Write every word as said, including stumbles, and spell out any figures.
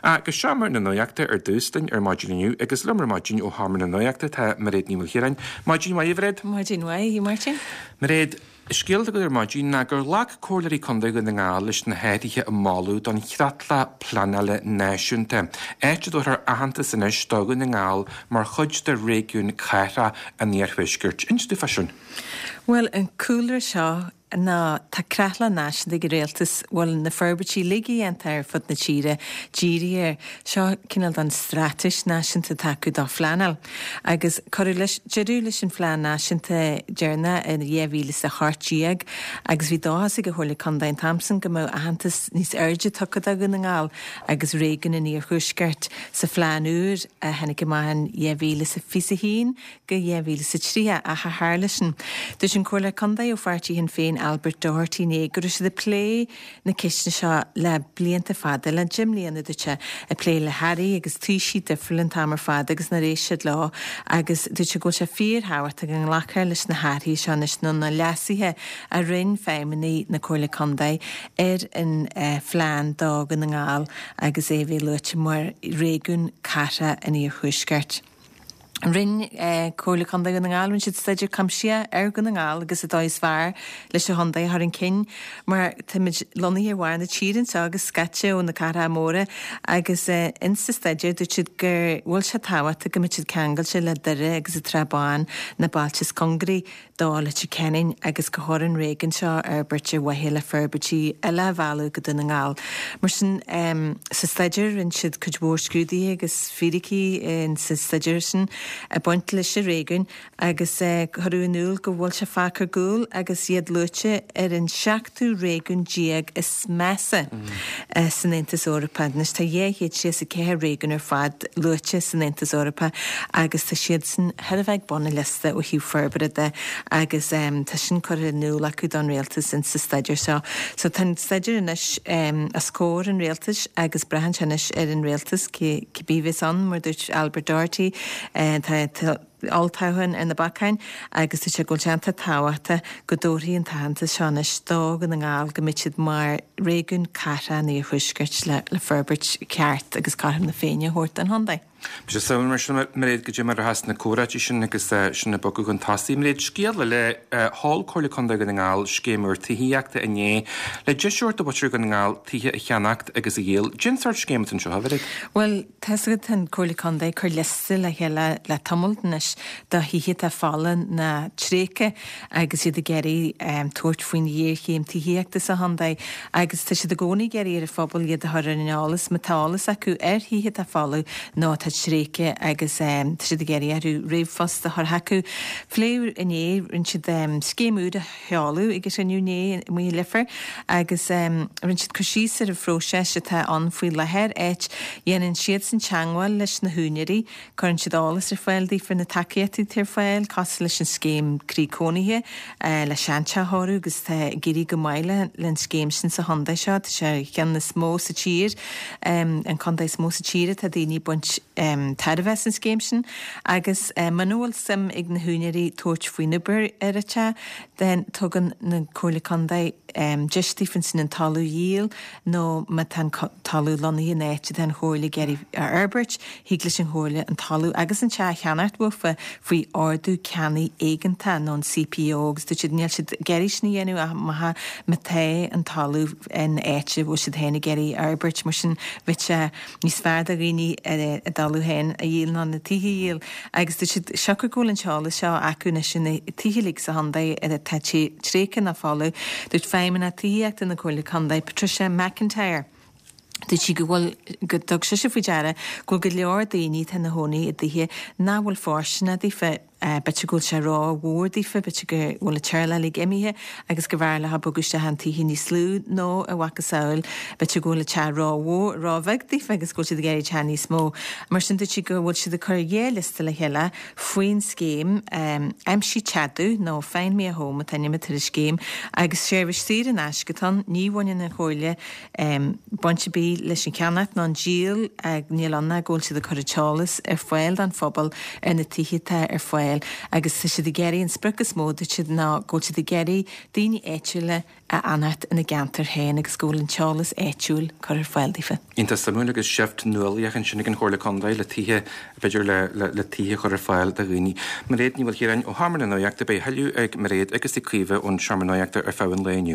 Go Seomra na Nuachta ar dtús linn ar maidin inniu agus liom ar maidin ó Sheomra na Nuachta tá Mairéad Ní Mhaoilchiaráin. Maidin mhaith, a Mhairéad. Maidin mhaith, Martin. Mairéad, scéal agat ar maidin ná gur ghlac Comhairleoirí Contae Dhún na nGall leis na hathruithe a moladh don Chreatlach Pleanála Náisiúnta. Áit a dtabharfar aitheantas anois do Dhún na nGall mar chuid de réigiún cathrach an Iarthuaiscirt. Inis dúinn fá sin. Well, an cúlra seo ná tá creatlach náisiúnta ag an rialtas bhfuil na forbairtí uilig a dhéanta ar fud na tíre dírithe air. Seo cineál den straitéis náisiúnta atá acu dá phleanáil. Agus cuireadh leis deireadh leis an phlean náisiúnta deireanach in dhá mhíle is a hocht déag agus bhí dóchas ag an Chomhairle Contae an t-am sin go mbeadh aitheantas níos airde tugtha do Dhún na nGall agus réigiún an Iarthuaiscirt sa phlean úr a tháinig amach in dhá mhíle is a fiche a haon go dhá mhíle is a tríocha ach ar tharla sin. Dúirt an Comhairleoir Contae ó pháirtí Shinn Féin Albert Doherty inné go raibh siad ag plé na ceisteanna seo le blianta fada, le deich mbliana dúirt sé, ag plé le hairí agus taoisigh difriúla an t-am ar fad agus nár éist siad leo agus dúirt sé go bhfuil sé fíorthábhachtach go nglacfar leis na hathruithe seo anois nó na leasuithe a rinne feidhmeannaigh na Comhairle Contae ar an phlean do Dhún na nGall agus é a bheith luaite mar réigiún cathrach an Iarthuaiscirt. Rinne Comhairle Contae Dhún na nGall, rinne siad staidéar cuimsitheach ar Dhún na nGall agus an dóigh is fearr leis an chontae a chur chun cinn mar táimid lonnaithe ar bharr na tíre anseo agus scaite ó na cathracha móra agus insa staidéar dúirt siad go bhfuil sé tábhachtach go mbeadh siad ceangailte le Doire agus an Srath Bán na bailte is cóngaraí do Leitir Ceanainn agus gur chóir an réigiún seo a fhorbairt ar mhaithe le forbairtí eile a mhealladh go Dún na nGall. Mar sin sa staidéar rinne siad cuid mhór scrúduithe agus fíricí sa staidéar sin ag baint leis an réigiún agus cuireadh in iúl go bhfuil sé fágtha ar gcúl agus iad luaite ar an seachtú réigiún déag is measa san Aontas Eorpach. Anois tá dhá chéad tríocha is a ceathair réigiún ar fad luaite san Aontas Eorpach agus tá siadsan thar a bheith ag bun an liosta ó thaobh forbartha de agus tá sin curtha in iúl acu don rialtas in sa staidéar seo. So tá an staidéar anois os comhair an rialtais agus braitheann sé anois ar an rialtas cibé a bheas ann, mar dúirt Albert Doherty, tá olltoghchán ar na bacáin agus tá sé go bhfuil sé iontach tábhachtach go dtabharfaí an t-aitheantas seo anois do Dhún na nGall go mbeidh siad mar réigiún cathrach an Iarthuaiscirt le le forbairt ceart agus cothrom na Féinne a thabhairt don chontae. Beidh sé suimiúil mar sin, Mairéad, goidé mar a rachas na comhráití sin agus sin ag bogadh chun tosaigh. Mairéad, scéal eile, sheol Comhairle Contae Dhún na nGall scéim úr tithíochta inné le deis a thabhairt do mhuintir Dhún na nGall tithe a cheannacht agus a dhíol. Cén sórt scéim atá anseo, a Mhairéad? Bhuel, tá a fhios agat, tá an Comhairle Contae ag cur liosta le chéile le tamall anois de thithe atá folamh nó tréigthe agus iad ag iarraidh tabhairt faoin ghéarchéim tithíochta sa chontae agus tá siad i gcónaí ag iarraidh ar an phobal iad a chur ar an eolas má tá eolas acu ar thithe atá folamh nó atá tréigthe agus tá siad ag iarraidh orthu ríomhphost a chur chucu. Phléadh inné, rinne siad scéim úr a sheoladh ag an chruinniú inné amuigh i Leifear agus rinne siad cur síos ar an phróiseas atá ann faoi láthair, áit dhéanann siadsan teagmháil leis na húinéirí, cuireann siad eolas ar fáil daofa ar na tacaíochtaí atá ar fáil, cosúil leis an scéim Croí Cónaithe le seanteach a chóiriú agus tá ag éirí go maith le an scéim sin sa chontae seo, tá sé ar cheann is mó sa tír, an contae is mó sa tír atá daoine ag baint tairbhe as an scéim sin agus muna bhfuil suim ag na húinéirí tabhairt faoin obair ar an teach, then tugann na Comhairle Contae deis daofa ansin an talamh a dhíol nó má tá an talamh lonnaithe in áit atá an Chomhairle ag iarraidh a fhorbairt, thig leis an Chomhairle an talamh agus an teach a cheannacht uafa faoi Ordú Ceannaigh Éigeantach nó an CPO agus dúirt siad níl siad ag iarraidh sin a dhéanamh ach má má tá an talamh in áit a bhfuil siad féin ag iarraidh a fhorbairt mar sin bheadh sé níos fearr do dhaoine a dtalamh féin a dhíol ná na tithe a dhíol agus dúirt siad siocair go bhfuil an t-eolas seo acu anois ar na tithe uilig sa chontae atá tréigthe nó folamh. Dúirt Feidhmeannach Tithíochta na Comhairle Contae, Patricia McIntyre, dúirt sí go bhfuil, go dtug sise faoi deara go bhfuil go leor daoine atá ina chónaí i dtithe nach bhfuil fóirsteanach daofa, b'fhéidir go bhfuil sé ró-mhór daofa, b'fhéidir go bhfuil an teaghlach uilig imithe agus go mb'fhearr leo bogadh isteach in tithe níos lú nó a mhacasamhail, b'fhéidir go bhfuil an teach ró-mhór, ró-bheag daofa agus go bhfuil siad ag iarraidh teach níos mó. Mar sin dúirt sí go bhfuil siad ag cur dhá liosta le chéile faoin scéim Aimsigh Teach Domh nó Find Me a Home an t-ainm atá ar an scéim agus seirbhís saor in aisce atá ann. Ní bhaineann an Chomhairle baint ar bith leis an cheannach ná an díol, níl ann ach go bhfuil siad ag cur an t-eolas ar fáil don phobal ar na tithe atá ar fáil. fáil agus tá siad ag iarraidh an sprioc is mó dúirt siad ná go bhfuil siad ag iarraidh daoine áitiúla a fhanacht ina gceantar féin agus go bhfuil an t-eolas áitiúil curtha ar fáil daofa. Iontach suimiúil agus seift nuálaíoch ansin ag an Chomhairle Contae le tithe, b'fhéidir le le tithe a chur ar fáil do dhaoine. Mairéad Ní Mhaoilchiaráin ó Sheomra na Nuachta, beidh a thuilleadh ag Mairéad agus ag Caoimhe ón Seomra Nuachta ar feadh an lae inniu.